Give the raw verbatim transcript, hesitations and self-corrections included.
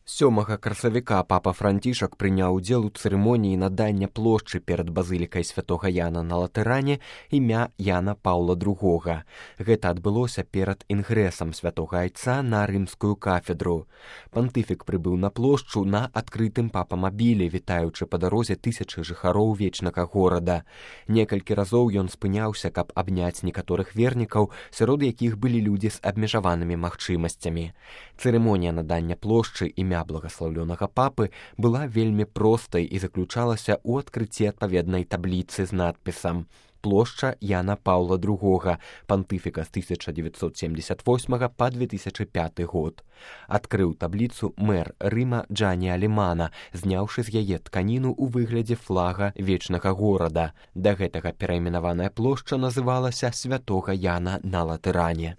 сёмага красавіка папа Францішак прыняў удзел у цырымоніі надання плошчы перад базылікай святога Яна на Латэране імя Яна Паўла другога. Гэта адбылося перад інгрэсам святога айца на рымскую кафедру. Пантыфік прыбыў на плошчу на адкрытым папамабілі, вітаючы па дарозе тысячы жыхароў вечнага горада. Некалькі разоў ён спыняўся, каб абняць некаторых вернікаў, сярод якіх былі людзі з абмежаванымі магчымасцямі. Цырымонія надання плошчы імя благаслаўлёнага папы была вельмі простай і заключалася ў адкрыцці адпаведнай табліцы з надпісам «Плошча Яна Паўла другога, пантыфіка з тысяча дзевяцьсот семдзесят восьмага па две тысячы пяты год». Адкрыў табліцу мэр Рыма Джані Алімана, зняўшы з яе тканіну ў выглядзе флага вечнага горада. Да гэтага перайменаваная плошча называлася святога Яна на Латэране.